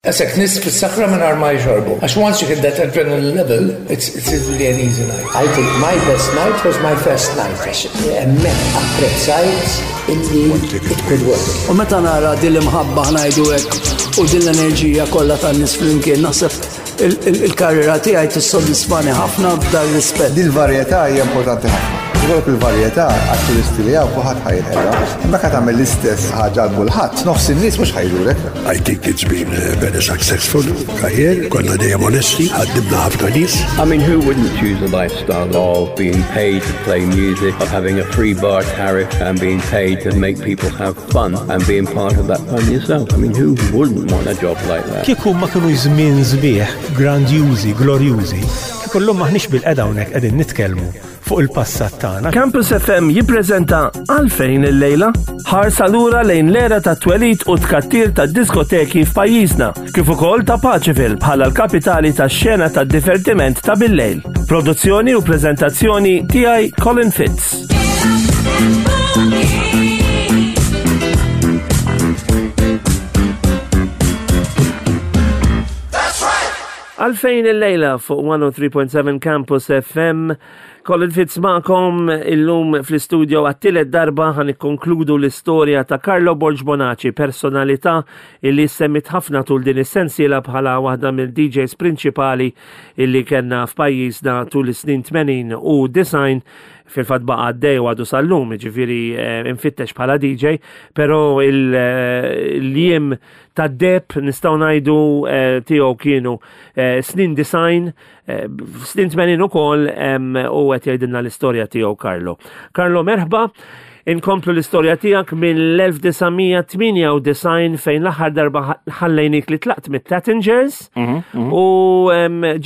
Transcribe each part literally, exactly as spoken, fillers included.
Qisek nies fis-sakra mingħajr ma jxorbu. Għax once you hit that adrenaline level, it's, it's really an easy night. I think my best night was my first night. Għax hemmhekk apprezzajt illi it could work. U meta nara din l-imħabba, ħa ngħidu hekk, u din l-enerġija kollha tan-nies flimkien, naħseb il-karriera tiegħi tissodisfani ħafna f'dan rispett. Dil-varjetà hija importanti ħafna. Ikollok il-varjetà għat-turisti li hawn, kulħadd ħa jinħela. Imma ka tagħmel l-istess ħaġa għal kulħadd, nofs in-nies mhux ħa jġulek. I think it's been a very successful career. Konna dejjem onesti, ħaddimna ħafna nies. I mean, who wouldn't choose a lifestyle of being paid to play music, of having a free bar tariff and being paid to make people have fun and being part of that fun yourself? I mean, who wouldn't want a job like that? Kieku ma kienu żmien sbieħ, grandjużi, glorjużi, kieku llum maħniex bilqiegħda hawnhekk qegħdin nitkellmu fuq il-passat tagħna. Campus F M jippreżenta Għalfejn il-lejla, ħarsa lura lejn l-era ta' twelid u tkattir ta' diskoteki f'pajjiżna, kif ukoll ta' Paceville bħala l-kapitali tax-xena ta' divertiment ta' bil-lejl. Produzzjoni u preżentazzjoni tiegħi, Colin Fitz. Għalfejn il-lejla fuq mija u tlieta punt seba' Campus F M. Colin Fitz magħkom illum fl-istudio. Għat-tielet darba ħa nikkonkludu l-istorja ta' Carlo Borg Bonaci, personalità illi semmit ħafna tul din is-sensiela bħala waħda mill-D Js prinċipali illi kellna f'pajjiżna tul is-snin tmenin u disgħin. Fil-fatt baqa' għaddej u għadu sal-lum, ġifieri eh, infittex bħala D J, pero il-jiem ta' deheb, nistgħu ngħidu, eh, tiegħu kienu eh, snin disgħin, snin tmenin ukoll, u qed jgħidilna l-istorja tiegħu Carlo. Carlo, merħba. Inkomplu l-istorja tiegħek mill-elf disa' mija tmienja u disgħin, fejn l-aħħar darba ħallejnik li tlaqt mit-Tattingers u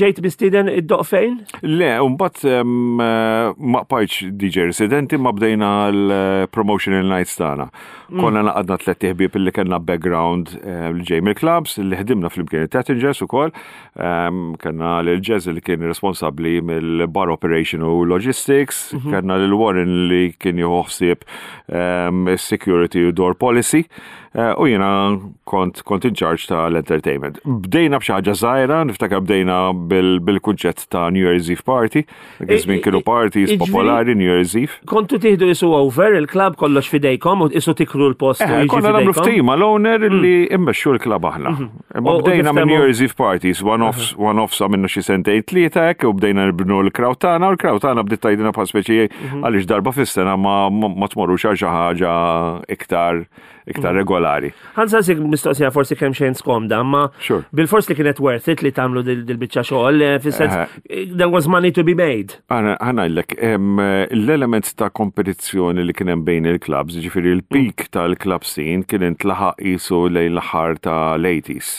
ġejt mistieden iddoqq fejn? Le, mbagħad ma bqajtx D J residenti, ma bdejna l-promotional nights tagħna. Mm. Konna ngħaqadna tlett ħbieb li kellna background eh, li ġej mill-clubs, li ħdimna flimkien it-Tattingers ukoll. Kellna l-Jazz li kien responsabbli mill-bar operation u logistics, mhm. kellna l-Warren li kien jieħu ħsieb security u door policy eh, u jiena kont kont in charge tal-entertainment. Bdejna b'xi ħaġa żgħira, niftakar bdejna bil-kunċett ta' New Year's Eve party. Dak iż-żmien kienu parties popolari New Year's Eve. Kontu tieħdu qisu over il-club, kollox fidejkom u qisu tikru l-post. Eh, konna nagħmlu ftehim mal-owner li mm. immexxu l-club aħna. Mhm. Imma bdejna minn New Year's Eve parties, one-offs, mhm. one-offs għamilna xi sentejn tlieta hekk u bdejna nibnu l-crowd tagħna, u l-crowd tagħna bdiet tgħidilna bħal speċi mhm. għaliex darba fis-sena ma tmorrux għal xi ħaġa iktar iktar mm. regolari. Ħa nsaqsik mistoqsija forsi kemm xejn skomda, ma bil-fors li kienet worth it li tagħmlu dil-biċċa xogħol, eh, fis-sens eh, there was money to be made. Ħa ngħidlek, l-element ta' kompetizzjoni li kien hemm bejn il-clubs, ġifieri il-peak mm. tal-club scene kien intlaħaq qisu lejn l-aħħar tal-eighties.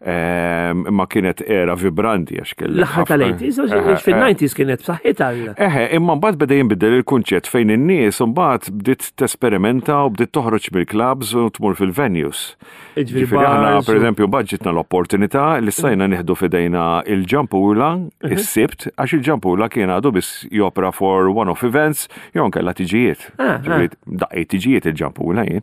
Imma kienet era vibranti għax kellek. L-aħħar tal-eighties, fil-nineties kienet b'saħħitha. Eħe, imma mbagħad beda jinbidel il-kunċett fejn in-nies mbagħad bdiet tesperimenta u bdiet toħroġ mill-clubs u tmur fil-venues. Ġifieri aħna, pereżempju, ġietna l-opportunità li stajna nieħdu f'idejna il-Ġampula mhm. is-Sibt, għax il-Ġampula kien għadu biss jopera for one-off events jew nkella tiġijiet. Ah, ah. Daqqejt tiġijiet il-Ġampula jien.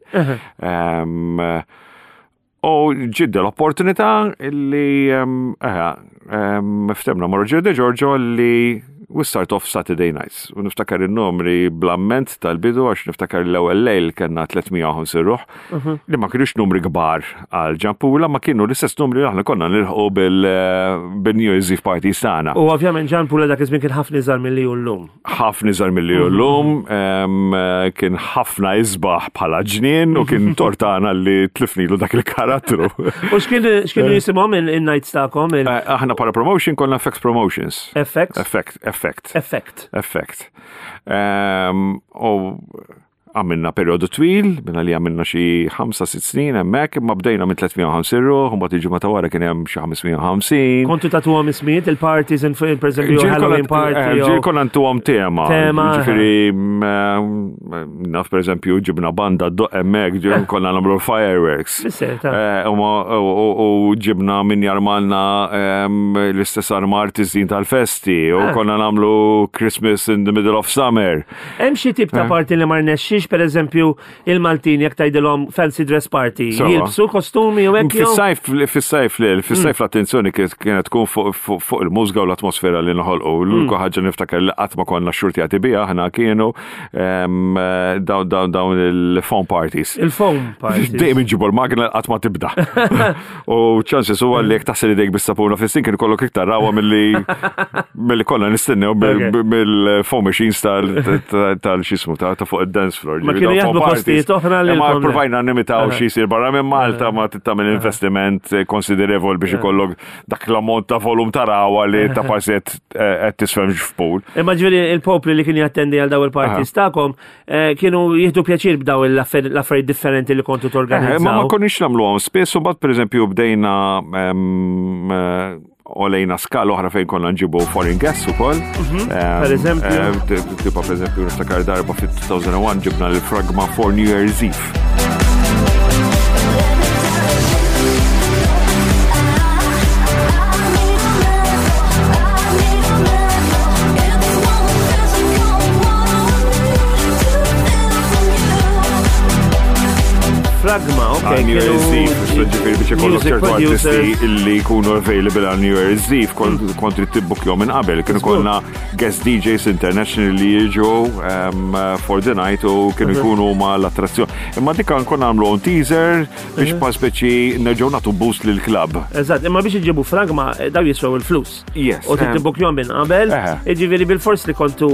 U ġiet l-opportunità li ftehemna ma' Roger De Giorgio li we start off Saturday nights. U niftakar il-numri bl-amment tal-bidu, għax niftakar l-ewwel lejl kellna tliet mija u ħamsin ruħ, mhm. li ma kienux numri kbar għal Ġampula, ma kienu l-istess numri li aħna konna nilħu bil-New Year's Eve party tagħna. U ovvjament Ġampula dak iż-żmien kien ħafna iżgħar milli hu llum. Ħafna iżgħar milli hu llum, kien ħafna isbaħ bħala ġnien u kien tort tagħna li tlifnilu dak il-karattru. U x'kienu jisimhom in-nights tagħkom? Eh, aħna bħala promotion konna F X Promotions. F X? Effect, Effect. Effect. Effect. U għamilna periodu twil, minna li għamilna xi ħamsa, sitt snin hemmhekk, imma bdejna minn tliet mija u ħamsin ruħ, mbagħad il-ġimgħa ta' wara kien hemm xi ħames mija u ħamsin. Kontu tagħtuhom ismijiet il-parties, per eżempju, Halloween party? Eh, ġieli konna ntuhom tema. Tema. Ġifieri, mm, naf, per eżempju, ġibna banda ddoqq hemmhekk, ġieli konna nagħmlu fireworks. Eh, u ġibna min jarmalna l-istess armar tiżin tal-festi, u ah. konna nagħmlu Christmas in the middle of summer. Hemm xi tip ta' eh. party li ma rnexxix Għax per eżempju il-Maltin jekk tgħidilhom fancy dress party, Sewwa. jilbsu kostumi u hekk jew- Fis-sajf, fis-sajf li, fis-sajf l-attenzjoni kienet kienet tkun fuq fuq- fuq il-mużika u l-atmosfera li noħolqu. L-unika ħaġa niftakar li qatt ma konna xxurtjati biha aħna kienu em, dawn dawn dawn il-foam parties. Il-foam parties. Dejjem inġibu l-magna qatt ma tibda. U chances huwa li jekk taħsel idejk bis-sapuna fis-sink kien ikollok iktar rawa milli milli konna nistennew Okay. mill-foam machines tal-xismu ta' ta' fuq id-dance floor. Ma Ġifieri kienu dawn jaħdmu foam parties. postijiet oħra li Ma l-foam- provajna nimitaw xi jsir barra minn Malta ma tagħmel investiment konsiderevol biex ikollok dak l-ammont ta' volum ta' rawa li ta' parsi qed tisfem f'pool. Imma ġifieri il-popli li kien jattendi għal daw il-parties tagħkom eh, kienu jieħdu pjaċir b'daw l-affarijiet differenti li kontu Eh, Ma ma torganizzaw. konniex nagħmluhom spiss u mbagħad pereżempju bdejna em, eh, olejna skala oħra fejn konna nġibu foreign guests ukoll. Em, Per eżempju? eh, t- Tipo pereżempju niftakar darba fit-elfejn u wieħed ġibna l-Fragma for New Year's Eve. Fragma, ok. Għal New Year's kienu Eve, ġifieri biex ikollok music ċertu artisti producers. illi jkunu available għal New Year's Eve, kont kont trid tibbukjhom minn qabel. Kienu konna guest D Js international li jiġu um, for the night u kienu jkunu ma l-attrazzjoni. Imma dik konna nagħmlu on teaser biex pa speċi nerġgħu nagħtu boost lil club. Eżatt, imma biex iġibu Fragma, eh, daw jiswew il-flus. Yes. U em, tibbukjhom minn qabel, Eħe. ġifieri bil-fors li kontu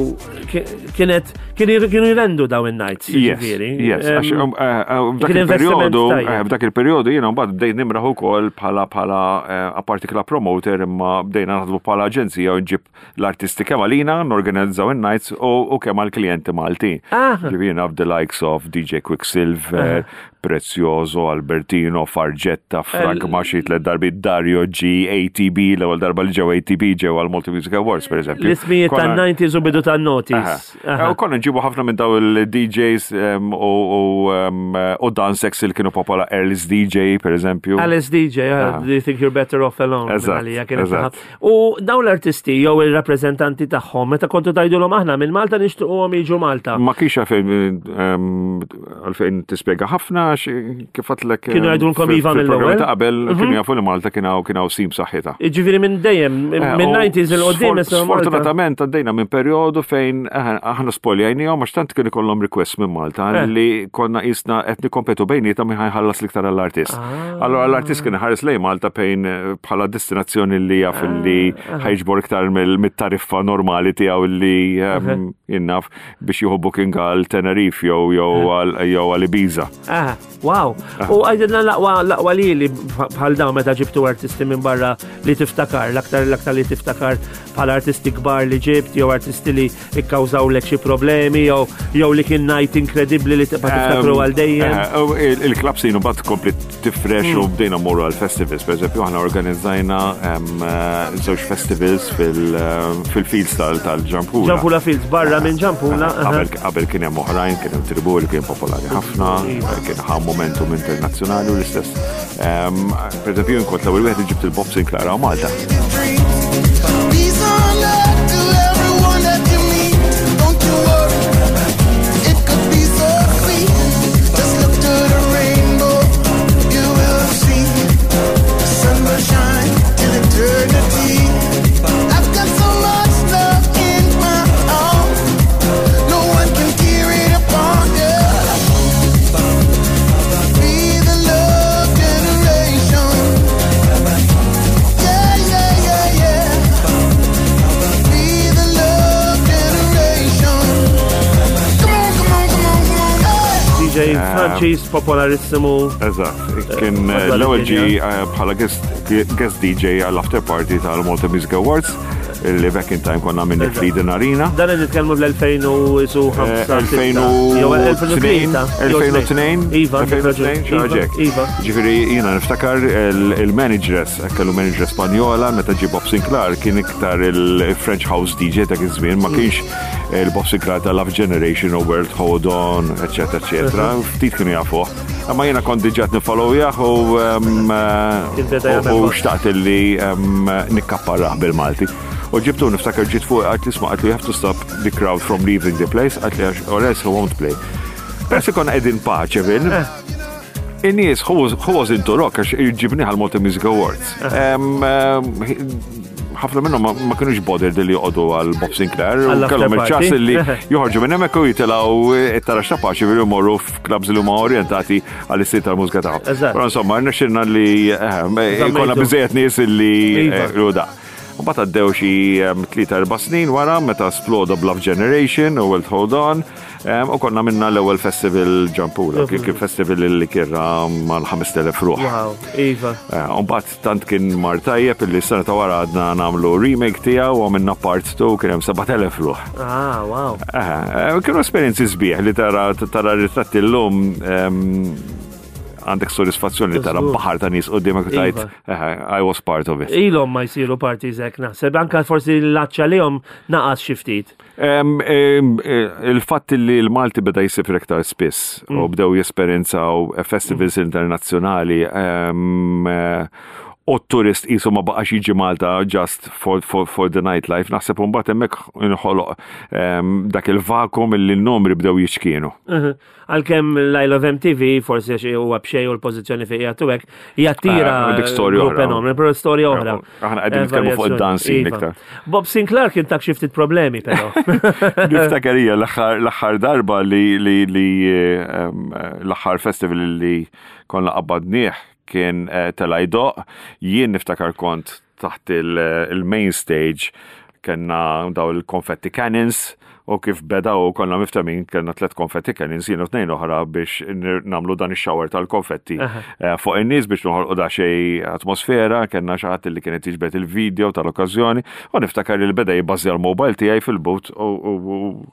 ki- kienet kienu kienu jrendu daw in-nights. Yes, ġifieri. yes. Em, Għax, um, eh, eh, f'dak kien investiment il-periodu, tajjeb. eh, f'dak il-periodu jiena mbagħad bdejt nimraħ ukoll bħala bħala eh, apparti club promoter, imma bdejna naħdmu bħala aġenzija u nġib l-artisti kemm għalina, norganizzaw in-nights u u kemm għall-klijenti Maltin. Ah. Ġifieri jiena the likes of D J Quicksilver, Prezioso, Albertino, Fargetta, Fragma xi tliet darbi, Dario G, A T B, l-ewwel darba li ġew A T B ġew għal Malta Music Awards, per eżempju. L-ismijiet Konna- tan-nineties u bidu tan-noughties. Aha. U konna nġibu ħafna minn daw il-D Js um, u, u, um, u dance li kienu popola, Alice D J, per eżempju. Alice D J, uh, Aha. do you think you're better off alone? Eżatt, Għalija kienet eżatt. taħħa. U dawn l-artisti jew il-rappreżentanti tagħhom, meta kontu tgħidulhom aħna minn Malta nixtiequhom jiġu Malta. Ma kienx għalfejn um, għalfejn tispjega ħafna għax kif għedtlek Kienu jgħidulkom iva fil-programmi mill-ewwel? ta' qabel kienu jafu li Malta kien hawn kien hawn sim saħħitha. Ġifieri minn dejjem, minn Eh, u nineties 'il quddiem sfor- issa Malta. Sfortunatament għaddejna minn periodu fejn eh, aħna spoljajnihom għax tant kien ikollhom request minn Malta Eh. li konna qisna qed nikkompetu bejnietna min ħa jħallas l-iktar għall-artist. Ah. Allora l-artist kien ħares lejn Malta bejn eh, bħala destinazzjoni li jaf li Ah. ħa jiġbor iktar mill- mit-tariffa normali tiegħu li ehm, jien naf biex jieħu booking għal Tenerife jew jew għal jew għal Ibiza. Ah, wow. U għajdilna l-aqwa l-aqwa li li bħal dawn meta ġibtu artisti minn barra li tiftakar, l-aktar l-aktar li tiftakar bħal artisti kbar li ġibt, jew artisti li ikkawżawlek xi problemi, jew jew li kien night inkredibbli li tibqa' tiftakru għal dejjem. Eh, u il- Il-club scene mbagħad kompli tifrex u bdejna mmorru għal festivals. Per eżempju, aħna organizzajna em, eh, żewġ festivals fil- eh, fil-fields tal- tal-Ġampula. Ġampula Fields, barra minn Ġampula. aha. Qabel qabel kien hemm oħrajn, kien hemm Tribu li kien popolari ħafna, kien ħa momentum internazzjonali u l-istess. Em, Per eżempju, jien kont l-ewwel wieħed li ġibt il-Bob Sinclair għal Malta. Peace on earth to everyone that you meet. Don't you worry, it could be so sweet. Just look to the rainbow, you will see. The sun will shine till eternity. I've got so much love in my arms, no one can tear it apart. Yeah. Be the love generation. Yeah, yeah, yeah, yeah. Be the love generation. Come on, come on, come on, come on. Hey. D J Franċiż popolarissimu. Eżatt, kien eh, madwar l-ewwel ġi id-dinja. eh, bħala guest guest D J għall-after party tal-Malta Music Awards li back in time konna minn fl-Eden Arena. Dan qed nitkellmu fl-elfejn u ħamsa. elfejn u tnejn, elfejn u tnejn, Iva, għandek raġun. elfejn u tnejn, xi ħaġa hekk. Iva. Ġifieri jiena niftakar il- il-manageress, kellu manager Spanjola, meta ġie Bob Sinclair kien iktar il-French House D J dak iż-żmien, ma kienx il-Bob Sinclair ta' Love Generation u World Hold On, eccetera, eccetera. Ftit kienu jafuh. Imma jiena kont diġà nifollowjah u um, Kien beda u- jagħmel u mod. xtaqt li um, nikkapparrah bil-Malti. U ġibtu, niftakar ġiet fuq, għedt isma', għedtlu, "You have to stop the crowd from leaving the place," għedtlu, għax or else he won't play. Peress konna qegħdin Paceville, in-nies who was, who was into rock għax ġibnieh għal Malta Music Awards. Em, em, ħafna minnhom ma- ma kienux bothered li joqogħdu għal Bob Sinclair u Għall-after kellhom il-ċans party. li joħorġu minn hemmhekk u jitilgħu it-taraġ ta' Paceville jmorru f'clubs li huma orjentati għall-istil tal-mużika tagħhom. Eżatt. Però insomma, rnexxilna li eh, jkollna biżejjed nies li Iva. eh, u da. U mbagħad għaddew xi em, tlieta erba' snin wara meta sploda Bluff Generation u Wild Hold On em, u konna minna l-ewwel festival Gianpula, kien kien festival li kirra mal-ħamest elef ruħ. Wow, iva. Eh, U mbagħad tant kien mar tajjeb illi s-sena ta' wara għadna nagħmlu remake tiegħu u għamilna part two, kien hemm sebat elef ruħ. Ah, wow. Eh, Kienu esperjenzi sbieħ li tara tara ritratti llum, em, għandek soddisfazzjoni li tara Żgur. baħar ta' nies quddiemek u tgħid, Iva. "Eh, I was part of it." Ilhom ma jsiru parties hekk naħseb, anka forsi l-għatx għalihom naqas xi ftit. Em, em, eh, Il-fatt li l-Malti beda jsifir iktar spiss u bdew jesperjenzaw festivals internazzjonali em, eh, u t-turist qisu ma baqax jiġi Malta just for, for, for the nightlife, naħseb mbagħad hemmhekk inħoloq em, dak il-vakum li n-numri bdew jiċkienu. Għalkemm l-I Love M T V, forsi għax huwa b'xejn u l-pożizzjoni fejn qiegħed hekk, jattira Eh, dik storja grupp oħra. enormi, però storja oħra. Aħna qegħdin nitkellmu fuq id-dancing Iva. iktar. Bob Sinclair kien tak xi ftit problemi però. Niftakar hija l-aħħar l-aħħar darba li li li em, l-aħħar festival li konna qabbadnieh kien eh, tela jdoqq, jien niftakar kont taħt il- il-main stage, kellna daw il-confetti cannons u kif beda u konna miftemin kellna tlet confetti cannons, jien u tnejn oħra, biex nir- namlu dan ix-shower tal-konfetti eh, fuq in-nies biex noħolqu da xej atmosfera. Kellna xi ħadd li kienet jiġbed il-video tal-okkażjoni u niftakar li beda jibbażi l-mobile tiegħi fil-but u u-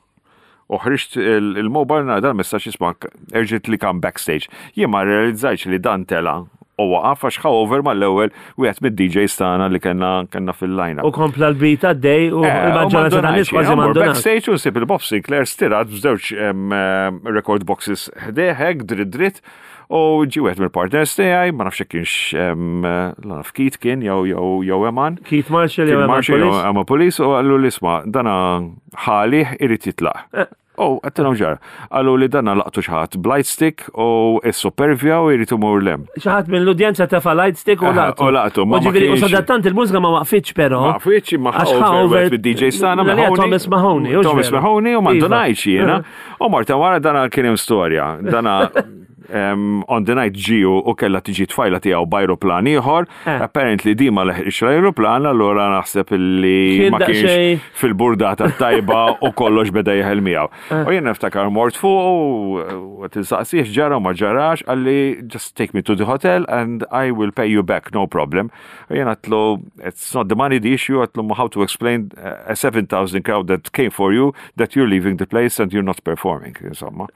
u ħriġt il- il-mobile nara dal-messaġġ jisma' "urgently come backstage". Jien ma realizzajtx li dan tela u waqaf għax over mal-ewwel wieħed mid-D Js tagħna li kellna kellna fil-line. U kompla l-beat għaddej u Eh, il-maġġoranza tan-nies kważi m'għandhom. Backstage u nsib il-Bob Sinclair stirat b'żewġ em, em, record boxes ħdejh, dritt dritt, u ġi wieħed mill-partners tiegħi, ma nafx jekk kienx em, la naf Keith kien jew jew jew Eman. Keith Marshall jew Kien Eman Marshall jew Police. Eman Police, u qallu li isma' dana ħali irid jitlaq. Eh. U għedtilhom ġara. Qallu li dana laqtu xi ħadd b'light stick u s-supervja u jrid imur lem. Xi ħadd minn l-udjenza tefa light stick u Eh, laqtu. U laqtu, ma U ma ġifieri, u kienx- sadattant il-mużika ma waqfitx però. Ma waqfitx, ma Għax ħa ħa over over- bid-D J stana. L-għalija Thomas Mahoney, hux Thomas veru? Mahoney u Iva. mandunajx jiena. U marta wara dana kien hemm storja. Dana um, on the night ġiju u kella tiġi tfajla tiegħu b'ajruplan ieħor. Eh. Apparently di ma leħqix l-ajruplan, allura naħseb illi Kien ma kienx daqsxejn- fil-burdata tajba u kollox beda jeħel miegħu. Eh. U jien niftakar mort fuq u tinsaqsih ġara u ma ġarax, qalli, "Just take me to the hotel and I will pay you back, no problem." U jien għedtlu, "It's not the money the issue," għedtlu, "how to explain a seven thousand crowd that came for you that you're leaving the place and you're not performing?" Insomma.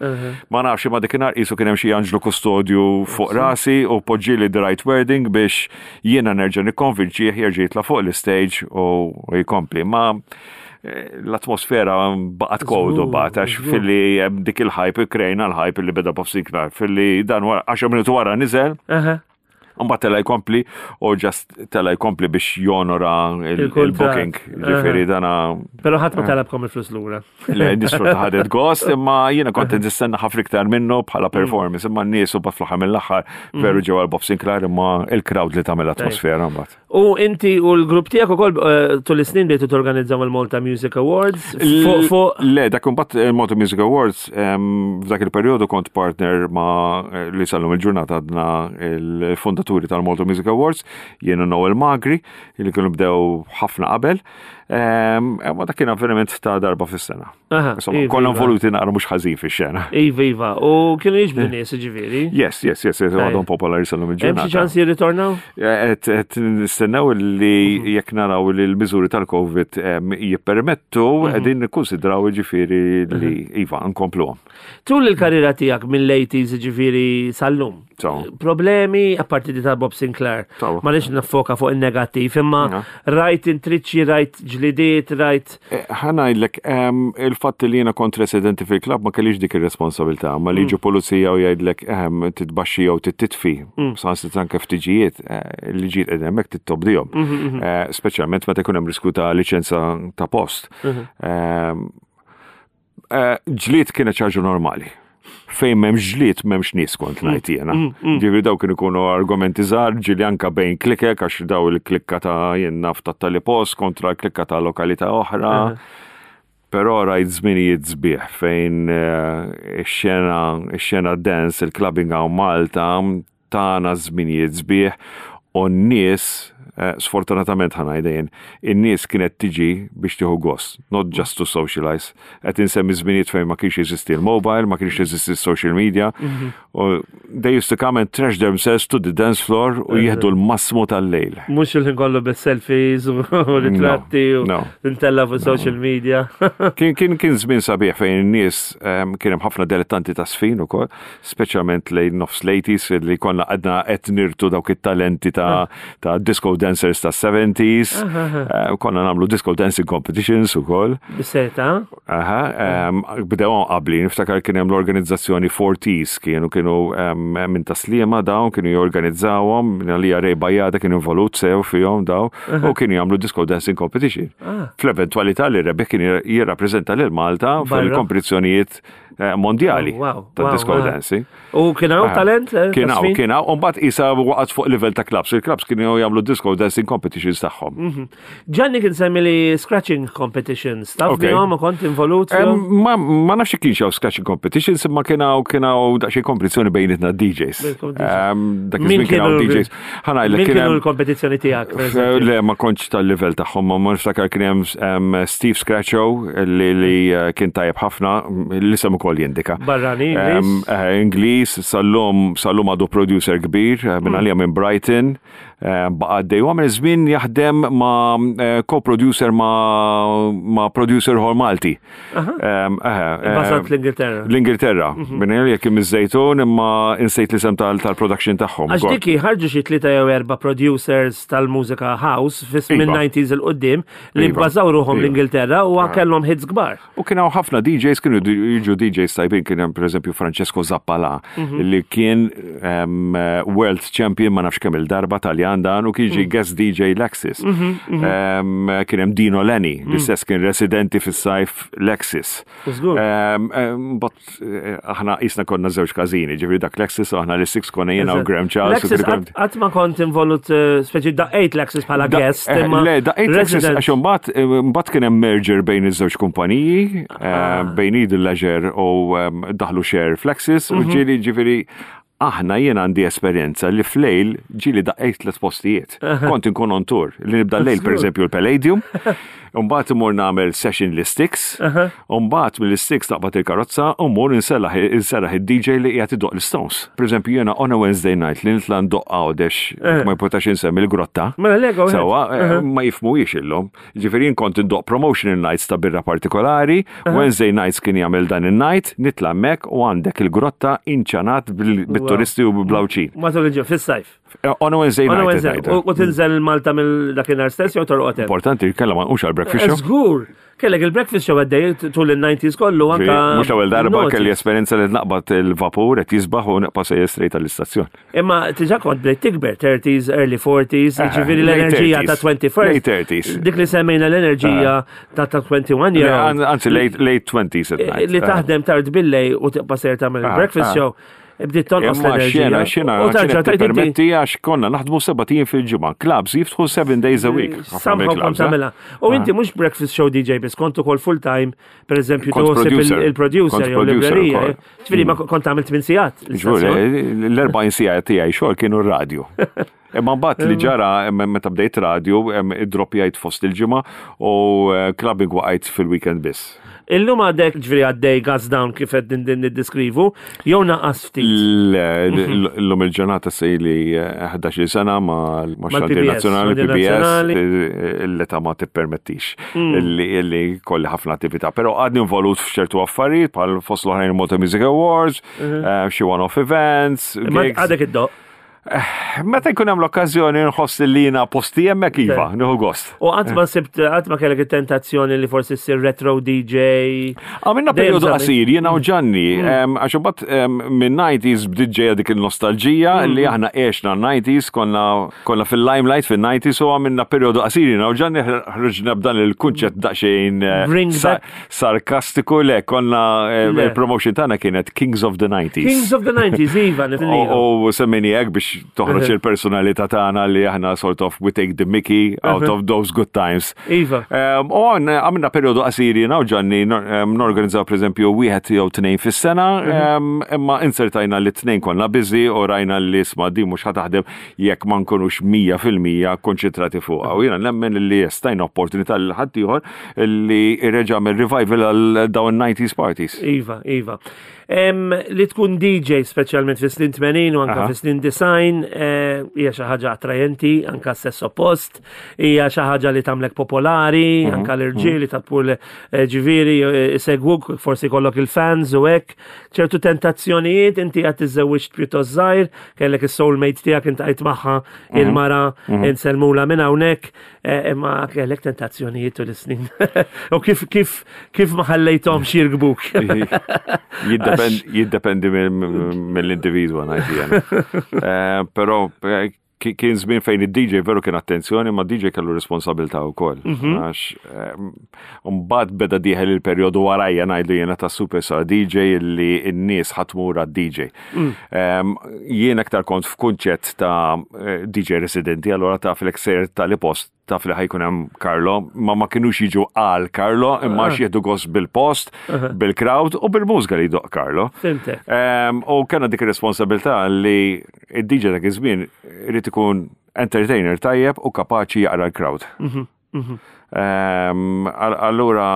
Ma nafx ma dikinhar qisu kien hemm xi anġlu kustodju fuq rasi u poġġili the right wording biex jiena nerġa' nikkonvinċih jerġa' jitla' fuq l-stage u u jkompli. Ma eh, l-atmosfera baqgħet cold u baqgħet għax filli hemm dik il-hype, krejna l-hype li beda Bob Sinclair, filli dan wara għaxar minuti wara niżel. Aha. Mbagħad tela jkompli u just tela jkompli biex jonora il- Il-kuntratt. il-booking. Ġifieri dana Però ħadd ma talabkom il-flus lura. Le, nisfru ta' ħadet gost, imma jiena kont nistenna ħafna iktar minnu bħala performance, imma n-nies u bat fl-aħħar mill-aħħar veru ġew għal Bob Sinclair, imma il-crowd li tagħmel atmosfera mbagħad. U inti u l-grupp tiegħek ukoll eh, tul is-snin bdejtu torganizzaw il-Malta Music Awards. Fuq fuq Le, dak imbagħad il-Malta Music Awards, em, f'dak il-perjodu kont partner ma' eh, li sal-lum il-ġurnata għadna il-fondaturi tal-Malta Music Awards, jiena Noel Magri, li kienu bdew ħafna qabel. Em, Ma dak kien avveniment ta' darba fis-sena. Aha, Insomma, iva, konna iva. involuti naqra mhux ħażin fix-xena. Iva, iva. U kienu jiġbdu nies, ġifieri. Yes, yes, yes, yes, għadhom popolari sal-lum Hemm xi il-ġurnata. ċans jirritornaw? Et et nistennew li jekk naraw li l-miżuri tal-Covid em, jippermettu, qegħdin nikkonsidraw ġifieri li iva nkompluhom. Tul il-karriera tiegħek mill-eighties ġifieri sal-lum. So. Problemi, apparti di ta' Bob Sinclair. So. Ma nix nifoka fuq il-negattiv, imma Ja. rajt intriċċi, rajt ġlidiet, rajt. Ħa ngħidlek, il-fatt li jiena kont residenti fil-klab ma kellix dik ir-responsabilità, ma li ġu pulizija u jgħidlek ehem titbaxxi jew titfi, saħansitra anke ftiġijiet, eh, li ġiet qegħdin hemmhekk tittobdihom. Eh, Speċjalment meta jkun hemm risku ta' liċenza ta' post. Ehm, eh, Ġlied kienet ħaġa normali. Fejn m'hemmx ġlied m'hemmx nies, kont ngħid jiena. Ġifieri daw kienu ikunu argumenti żgħar, ġieli anka bejn klikek, għax daw il-klikka ta' jien naf ta' tali post kontra l-klikka ta' lokalità oħra. Però rajt żminijiet sbieħ fejn eh, ix-xena ix-xena dance, il-clubbing hawn Malta tana żminijiet sbieħ u n-nies, eh, sfortunatament ħa ngħidha jien, in-nies kienet tiġi biex tieħu gost, not just to socialize. Qed insemmi żminijiet fejn ma kienx jeżisti l-mobile, ma kienx jeżisti social media. U they used to come and trash themselves to the dance floor u jieħdu l-massmu tal-lejl. Mhux il-ħin kollu bis-selfies u ritratti u no. tintella fuq social media. Kien kien kien żmien sabiħ fejn in-nies em, kien hemm ħafna dilettanti ta' sfin ukoll, speċjalment lejn nofs l-eighties li konna għadna qed nirtu dawk it-talenti ta' ta' disco dancers ta' seventies. Eh, Konna nagħmlu disco dancing competitions ukoll. Bis-seta. Aha, em, bdew qabli, niftakar kien hemm l-organizzazzjoni forties, kienu kienu em, minn Tas-Sliema dawn, kienu jorganizzawhom, għalija Ray Bajada kienu involut sew fihom daw, u kienu jagħmlu disco dancing competition. Fl-eventwalità li rebeħ kien jirrappreżenta lil Malta Barra. fil-kompetizzjonijiet eh, mondjali Oh, wow, ta' wow, disco wow. dancing. U kien hawn Ah, talent? eh, Kien hawn, ta' sfin? kien hawn, u mbagħad isa waqgħet fuq livell ta' clubs. Il-clubs kienu jagħmlu disco dancing competitions tagħhom. Gianni kien semmi li scratching competitions. Taf Ok. bihom u kont involut Em, fihom? Ma, ma nafx kienx hawn scratching competitions, imma kien hawn kien hawn daqsxejn kompetizzjoni bejnietna D Js. Bil-competition. Em, Dak Min iż-żmien kien hawn kienu D Js. Ħa ngħidlek Min kien kienu hemm l-kompetizzjoni tiegħek, per eżempju? Le, ma kontx tal-level tagħhom, ma ma niftakar kien hemm em, Steve Scratcho li, li eh, kien tajjeb ħafna, l-isem ukoll jindika. Barrani, Em, Ingliż? eh, Ingliż, sal-lum sal-lum għadu producer kbir, eh, minn għalija minn Brighton, eh, baqa' għaddej. U għamel żmien jaħdem ma' eh, co-producer ma' ma' producer ieħor Malti. Em, eh, eh, Basat l-Ingilterra. L-Ingilterra. Minn għalija kien miż-Żejtun, imma insejt l-isem tal- tal-production tagħhom. Għax dik ħarġu xi tlieta jew erba' producers tal-mużika house fis Iva. minn nineties 'il quddiem li Iva. bbażaw ruħhom Iva. l-Ingilterra u kellhom hits kbar. U kien hawn ħafna D Js, kienu jiġu D Js tajbin, kien hemm pereżempju Francesco Zappala li kien um, world champion ma nafx kemm il-darba, Taljan dan, u kien ġi guest D J Lexis. Um, kien hemm Dino Lenny, l-istess kien residenti fis-sajf Lexis. Żgur. Um, um, but eh, aħna jisna konna żewġ każini, ġifieri dak Lexis u aħna l-Six konna jiena u Graham Charles. u Lexis kien- qatt ma kont involut, eh, speċi daqqejt Lexis bħala Da- guest, eh, imma Le, daqqejt Lexis resident. għax imbagħad eh, mbagħad kien hemm merger bejn iż-żewġ kumpaniji, eh, Ah. bejn Eden Leisure u em, daħlu share f'Lexis Mhm. u ġieli ġifieri aħna jien għandi esperjenza li flejl ġieli daqqejt tliet postijiet. Kont inkun on tour, li nibda lejl per eżempju l-Palladium, mbagħad imur nagħmel session l-Sticks, u mbagħad mill-Sticks taqbad il-karozza u mmur insellaħ inserraħ id-D J li qiegħed idoq l-Stones. Per eżempju jiena on a Wednesday night li nitla' ndoq Għawdex, ma jpotax insemmi l-grotta. Mela le, go ahead. Sewa, eh, ma jifhmuhiex illum. Ġifieri jien kont indoq promotional nights ta' birra partikolari, Wednesday nights kien jagħmel dan il-night, nitla' hemmhekk u għandek il-grotta inċanat bil- bit-turisti u bil-Għawdxin. Matul il-ġimgħa, fis-sajf. Eh, On a Wednesday On a night. Wednesday. Qed U ngħid. u tinżel Malta mill dakinhar stess jew torqod hemm? Importanti, kella ma nqux għal-breakfast show. Żgur. Kellek il-breakfast show għaddej tul il-nineties kollu anka. Mhux l-ewwel darba il-noughties. kelli esperjenza li naqbad il-vapur qed jisbaħ u nibqa' sejjer straight għall-istazzjon. Imma diġà kont bdejt tikber, thirties, early forties, Eh, ġifieri late l-enerġija ta' thirties. twenty-first. Late thirties. Dik li semmejna l-enerġija ta' ta' twenty-one year old. Anzi, late late twenties at night. Li taħdem tard billejl u tibqa' ser tagħmel Ah, il-breakfast ah. show. Bdiet tonqos Imma l-enerġija. xena, xena, U tarġa' kienet tajt inti permetti għax konna naħdmu sebat ijiem fil-ġimgħa. Clubs jiftħu seven days a week. Ħafna Somehow kont mill-clubs, eh? tagħmilha. U inti mhux breakfast show D J biss, kont ukoll full time, per eżempju, Kont toħsib producer. il-producer Kont jew producer librerija. ukoll. Ġifieri ma kont tagħmel tmien sigħat. Ġur, l-erbgħin siegħa tiegħi xogħol kienu r-radju. Imma mbagħad li ġara em, meta bdejt radio, em, id-droppjajt fost il-ġimgħa u eh, clubbing waqajt fil-weekend biss. Illum għadek ġifieri għaddej gas down kif qed din din niddeskrivu, jew naqas ftit? L-lum il-ġurnata se li ħdax-il sena ma ma xandir Mal-P B S, nazzjonali xandir P B S, nazzjonali. l-età ma tippermettix illi illi kolli ħafna attività. Però għadni involut f'ċertu affarijiet bħal fost l-oħrajn Malta Music Awards, eh, xi one-off events, Imma gigs. għadek iddoqq. Meta jkun hemm l-okkażjoni nħoss li jiena posti hemmhekk iva, nieħu gost. U qatt ma sibt, qatt ma kellek it-tentazzjoni li forsi ssir retro D J? Għamilna Dejjem periodu żammi. qasir, jiena u Ġanni, em, għax imbagħad em, minn nineties bdiet ġejja dik il-nostalġija li aħna għexna nineties, konna konna fil-limelight fil-nineties u għamilna periodu qasir jiena u Ġanni, ħriġna b'dan il-kunċett daqsxejn eh, Bring sa- back- sarkastiku, le konna eh, Le. il-promotion tagħna kienet Kings of the nineties. Kings of the nineties, iva, nifnilu. U u semmejni hekk biex toħroġ il-personalità tagħna li aħna sort of we take the mickey out of those good times. Iva. Um, U għan- għamilna periodu qasir jiena u Ġanni nor- um, norganizzaw per eżempju wieħed jew tnejn fis-sena, um, imma insertajna li tnejn konna busy u rajna li isma' di mhux ħa taħdem jekk ma nkunux mija fil-mija konċentrati fuqha. U jiena nemmen li stajna opportunità lil ħaddieħor li reġa' mill revival għal dawn nineties parties. Iva, iva. Em, li tkun D J speċjalment fi snin tmenin u anka Aha. fi snin disgħin eh, hija xi ħaġa attrajenti anka sess oppost, hija xi ħaġa li tagħmlek popolari, Mhm, anka l-irġieli ta' tpur eh, ġifieri eh, isegwuk, forsi kollok il-fans u hekk. Ċertu tentazzjonijiet, inti qed tiżżewwiġt pjuttost żgħir, kellek is-soulmate tiegħek intajt magħha Mhm. il-mara insellmula minn hawnhekk, eh, imma kellek tentazzjonijiet tul is-snin. U kif kif kif ma ħallejthomx jirkbuk? Jiddependi jiddependi mill-individwa ngħid jiena. Eh, Però eh, ki- kien żmien fejn id-D J veru kien attenzjoni, ma D J kellu responsabilità wkoll. Għax eh, mbagħad beda dieħel il-perjodu warajja ngħidlu jiena ta' superstar D J li n-nies ħa tmur għad-D J. Em, Jien aktar kont f'kunċett ta' eh, D J residenti, allora ta' fl-ekser tal-post taf li ħa jkun hemm Carlo, ma ma kienux jiġu għal Carlo, imma għax jieħdu gost bil-post, bil-crowd u bil-mużika li jdoqq Carlo. Fhimtek. Em, U kellna dik ir-responsabilità li id-D J dak iż-żmien irid ikun entertainer tajjeb u kapaċi jaqra l-crowd. Em, all- Allura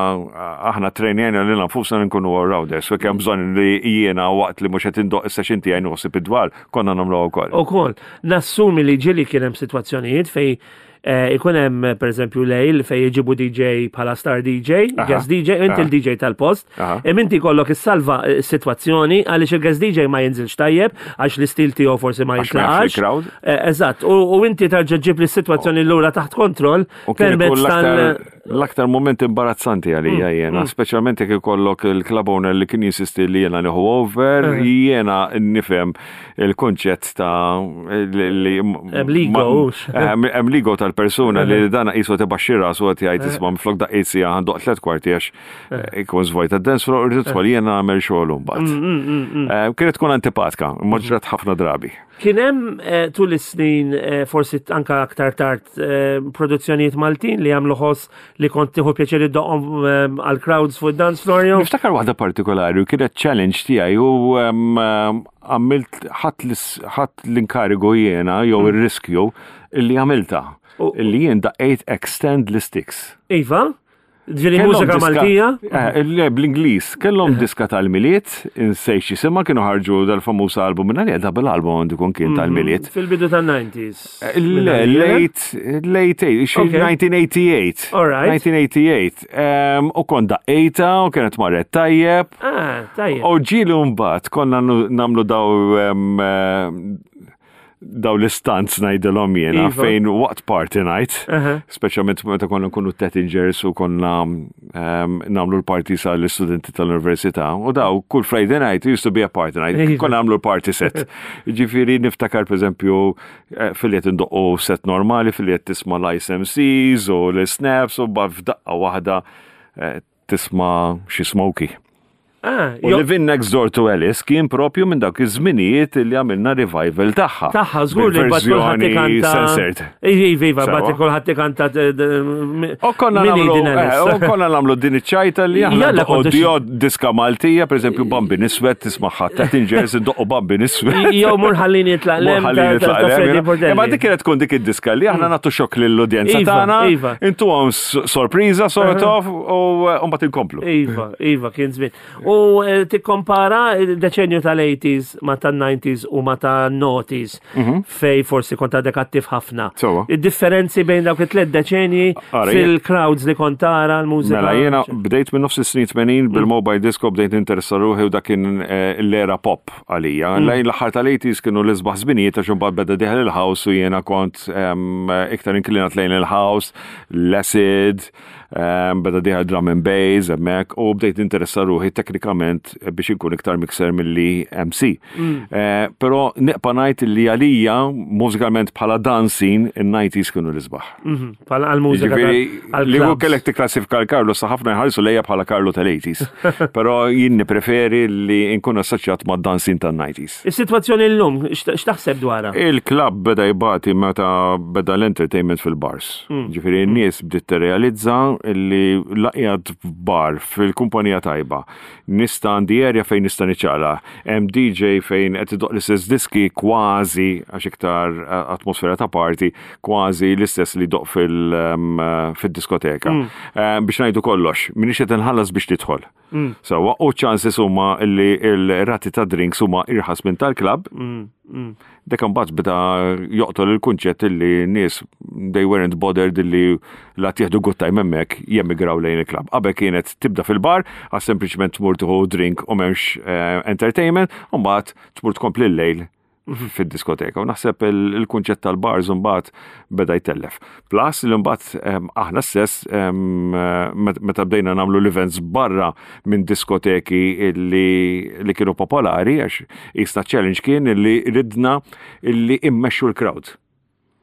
aħna trejnjena lilna nfusna nkunu all-rounders, so kemm bżonn li jiena waqt li mhux qed indoqq is-session tiegħi noħsib id-dwal, konna nagħmluha wkoll. U kol, nassumi li ġieli kien hemm sitwazzjonijiet fej eh, ikun hemm per eżempju lejl fej jġibu D J bħala star D J, Aha. guest D J, inti Aha. il-D J tal-post, Aha. im inti kollok issalva eh, s-sitwazzjoni għaliex il-guest D J ma jinżilx tajjeb, għax l-istil tiegħu forsi ma Għax ma jafx jintlaqax. il-crowd. Eh, Eżatt, u u inti tarġa' ġib l-sitwazzjoni lura taħt kontroll U kien ikun permezz tal- l-aktar l-aktar moment imbarazzanti għalija jiena, speċjalment jekk ikollok il-club owner li kien jinsisti li jiena nieħu over, jiena nifhem il-konċett ta' li li- Hemm l-ego, ma- hux. Eh, Hemm hemm l-ego tal-persuna li dana qisu tibaxxi rasu qed jgħid isma' minflok daqqejt siegħa ħa ndoqq tliet kwarti għax eh, ikun żvojta d-dance floor, irrid tidħol jiena nagħmel xogħol mbagħad. Eh, Kienet tkun antipatika, ma ġrat ħafna drabi. Kien hemm eh, tul is-snin eh, forsi anka aktar tard eh, produzzjonijiet Maltin li għamlu ħoss li kont tieħu pjaċir iddoqqhom eh, għal crowds fuq dance floor jew? Niftakar waħda partikolari u kienet challenge tiegħi u em, em, għamilt ħadd l- ħadd l-inkarigu jiena jew ir-riskju illi għamilta. U- Illi jien daqqejt Extend l-Sticks. Iva? Ġieli Kellhom mużika diska- Maltija? Eh, le, bl-Ingliż. Kellhom diska tal-Milied, insejt x'jisimha, kienu ħarġu dal-famuż album minna li double album għandu jkun kien tal-Milied. Fil-bidu tan-nineties. Eh, Le, late, late, xi Okay. nineteen eighty-eight. All right. nineteen eighty-eight. Em, U kont daqqejta u kienet marret tajjeb. Ah, tajjeb. U ġieli mbagħad konna nu- nagħmlu daw em, em, daw l-stunts ngħidilhom jiena Iva. fejn waqt party night, Aha. speċjalment meta konna nkunu Tettingers u konna em, nagħmlu l-party sa l-istudenti tal-università u daw kull Friday night used to be a party night, Iva. konna nagħmlu l-party set. Ġifieri niftakar per eżempju eh, filli qed indoqqu set normali, filli qed tisma' l-I S M Cs u l-snaps u ba f'daqqa waħda eh, tisma' xi Smokie. Ah, U jo- Living Next Door to Alice kien propju minn dawk iż-żminijiet li għamilna revival tagħha. Taħħa, żgur li bat kulħadd Bil-verżjoni ikanta. censored. Iva, iva, bat Sewa. kulħadd ikanta. U konna Min nagħmlu din eh, Alice? u konna nagħmlu din iċ-ċajta li aħna Jalla ndoqqu kontu xi- dio diska Maltija, pereżempju Bambin Iswed tismagħha Tettingers indoqqu Bambin Iswed. Jew Mur ħallini nitlaq 'l hemm Mur ħallini ta' nitlaq 'l hemm, Freddie you know. Portelli. Imma dik kienet tkun dik id-diska li aħna nagħtu xokk lill-udjenza Iva, tagħna, iva. intuhom s- sorpriża sort of u eh, mbagħad inkomplu. Iva, iva, kien żmien. U eh, tikkompara il-deċenju tal-eighties ma tan-nineties u ma tan-noughties fej forsi kont għadek attiv ħafna. Sewwa. Id-differenzi bejn dawk it-tliet deċenji Ara, jien- fil-crowds li kont tara l-mużika. Mela jiena bdejt minn nofs is-snin tmenin bil-mobile disco, bdejt ninteressa ruħi u dak kien eh, l-era pop għalija. Lejn l-aħħar tal-eighties kienu l-isbaħ żminijiet għax imbagħad beda dieħel il-house u jiena kont em, iktar inklinat lejn il-house, l-acid, em, beda dieħel drum and bass hemmhekk u bdejt ninteressa ruħi teknikament biex inkun iktar mixer milli M C. Eh, Però nibqa' ngħid li għalija mużikalment bħala dancing in-nineties kienu l-isbaħ. Mhm, bħala għal-mużika. Ġifieri, tal- li hu għal-clubs. kellek tikklassifika l-Karlo, sa ħafna jħarsu lejja bħala Karlo tal-eighties. Però jien nippreferi li nkun assoċjat ma' dancing tan-nineties. Is-sitwazzjoni llum, x'taħseb dwarha? Il-club beda jbati meta beda l-entertainment fil-bars. Ġifieri n-nies bdiet tirrealizza li la qiegħed f'bar fil-kumpanija tajba. Nista' għandi area fejn nista' niċċaqlaq. Hemm D J fejn qed idoqq l-istess diski kważi, għax iktar eh, atmosfera ta' party, kważi l-istess li doq fil, em, fil-diskoteka. Eh, Biex ngħidu kollox, minix qed inħallas biex tidħol. Sewwa, u chances huma li l-rati ta' drinks huma irħas minn tal-club. Dak imbagħad beda joqtol il-kunċett li nies they weren't bothered li la tieħdu good time hemmhekk jemigraw lejn il-club. Qabel kienet tibda fil-bar, għax sempliċement tmur tieħu drink u m'hemmx eh, entertainment, u mbagħad tmur tkompli l-lejl fid-diskoteka. U naħseb il- il-kunċett tal-bars mbagħad beda jtellef. Plus li mbagħad em, aħna stess em, met- meta bdejna nagħmlu l-events barra minn diskoteki li, li kienu popolari, għax jista' challenge kien li ridna illi immexxu l-crowd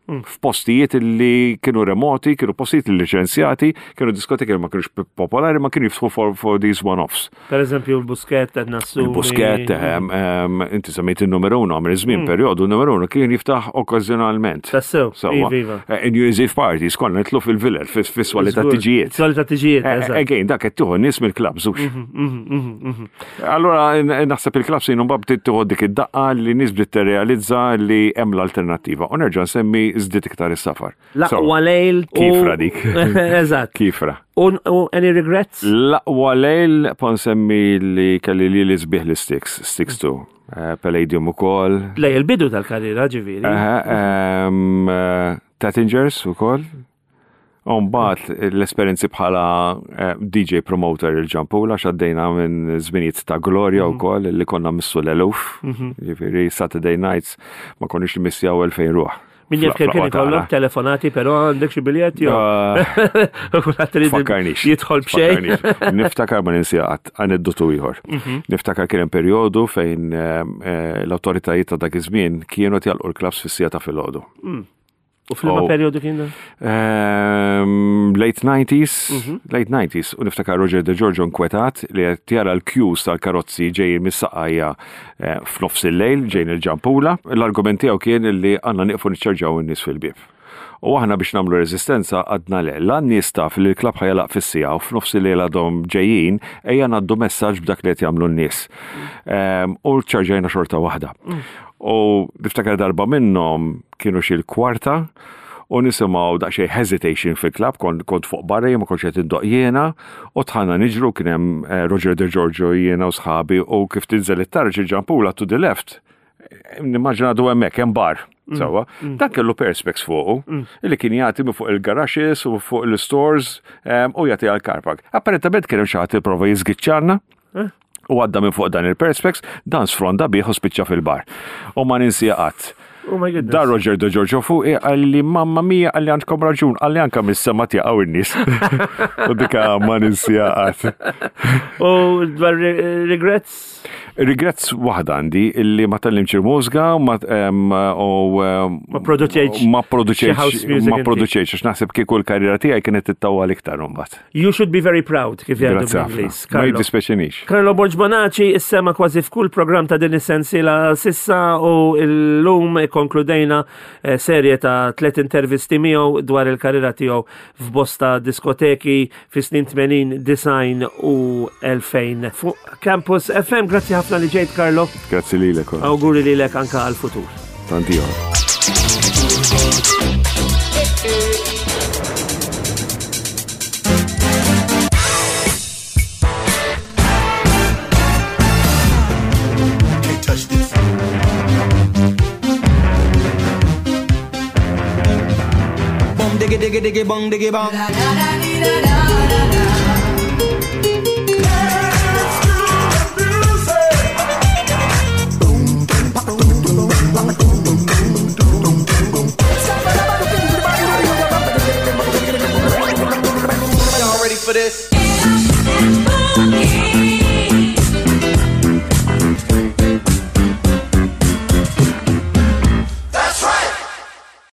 f'postijiet li kienu remoti, kienu postijiet liċenzjati, kienu diskoteki li ma kienux popolari, ma kienu jiftħu for, for these one-offs. Per eżempju, il-Buskett, qed nassumi. Il-Buskett, ehm, ehm, inti semmejt il-numero uno, għamil żmien periodu, il-numero uno kien jiftaħ okkażjonalment. Tassew, Sewwa. iva, iva. Eh, New Year's Eve parties, konna nitlu fil-villel, fis-swali ta' Żgur. tiġijiet. Swali ta' tiġijiet, Eh, eżatt. Again, dak qed tieħu nies mill-clubs, hux. Allora, n- naħseb il-clubs jien mbagħad bdiet tieħu dik id-daqqa li nies bdiet tirrealizza li hemm l-alternattiva. U nerġa' nsemmi żdied iktar is-safar. L-aqwa lejl. u- Kifra dik. Eżatt. Kifra. U u any regrets? L-aqwa lejl pon semmi li kelli li li sbieħ li Sticks, Sticks two. Eh, Palladium ukoll. Lej il-bidu tal-karriera, ġifieri. Aha, ehm, eh, Tattingers ukoll. U mbagħad l-esperjenzi bħala eh, D J promoter il-Ġampula, xaddejna minn żminijiet ta' glorja wkoll li konna missu l-eluf. Ġifieri Saturday nights ma konniex missjaw elfejn ruħ. Min jaf kemm kien Fl-aqwa ikollok tagħna. telefonati, però għandek xi biljetti jew. Ah, Kulħadd irid Fakkarnix. jidħol b'xejn. Fakkarnix. Niftakar ma ninsi qatt aneddotu ieħor. Niftakar kien hemm perjodu fejn eh, eh, l-awtoritajiet ta' dak iż-żmien kienu jagħlqu l-clubs fis-siegħa ta' filgħodu. U f'liema Oh. perjodu kien dan? Ehm, late nineties, late nineties, u niftakar Roger De Giorgio nkwetat li qed jara l-queues tal-karozzi ġejjin mis-Saqqajja eh, f'nofs il-lejl ġejjin il-Ġampula. L-argument tiegħu kien li għandna nieqfu niċċarġaw in-nies fil-bieb. U aħna biex nagħmlu reżistenza għedna le, l-nies taf li l-club ħa jagħlaq fis-siegħa u f'nofs il-lejl għadhom ġejjin, ejja ngħaddu messaġġ b'dak li qed jagħmlu n-nies. Ehm, U ċarġajna xorta waħda. U niftakar darba minnhom kienu xi l-kwarta u nisimgħu daqsxejn hesitation fil-club, kont, kont fuq barra, jien ma kontx qed indoq jiena, u dħalna niġru, kien hemm eh, Roger De Giorgio, jiena u sħabi, u kif tinżel it-taraġ il-Ġampula to the left, nimmaġina għadu hemmhekk hemm bar. Sewwa, dak kellu perspex fuqu, illi kien jagħti minn fuq il-garages u fuq il-stores em, u jagħti għal car park. Apparentament kien hemm xi ħadd ipprova jiżgiċċarna u għadda minn fuq dan il-perspex, dan sfronda bih u spiċċa fil-bar. U ma ninsi qatt. Oh my goodness. Da Roger De Giorgio fuq qalli, "Mamma mia," qalli, "għandkom raġun," qalli, "anka mis-sema jaqgħu in-nies." U dika ma ninsi qatt. U dwar re- regrets? Regrets waħda għandi, illi ma tgħallimtx il-mużika ma em, u em, Ma produċejtx ma xi produċejtx house music ma inti. produċejtx, għax naħseb kieku l-karriera tiegħi kienet tittawal iktar imbagħad. You should be very proud, kif jgħidu Grazzi ħafna. bl-Ingliż. Ma Carlo. jiddispjaċinix. Carlo Borg Bonaci issema kważi f'kull program ta' din is-sensiela sissa u l-lum konkludejna eh, serje ta' tlet intervisti miegħu dwar il-karriera tiegħu f'bosta diskoteki fi snin tmenin, disgħin u elfejn. Fuq Campus F M, grazzi ħafna li ġejt, Carlo. Grazzi lilek. Awguri lilek anka għal-futur. Tanti ieħor. diggy diggy bong diggy bong. Y'all ready for this?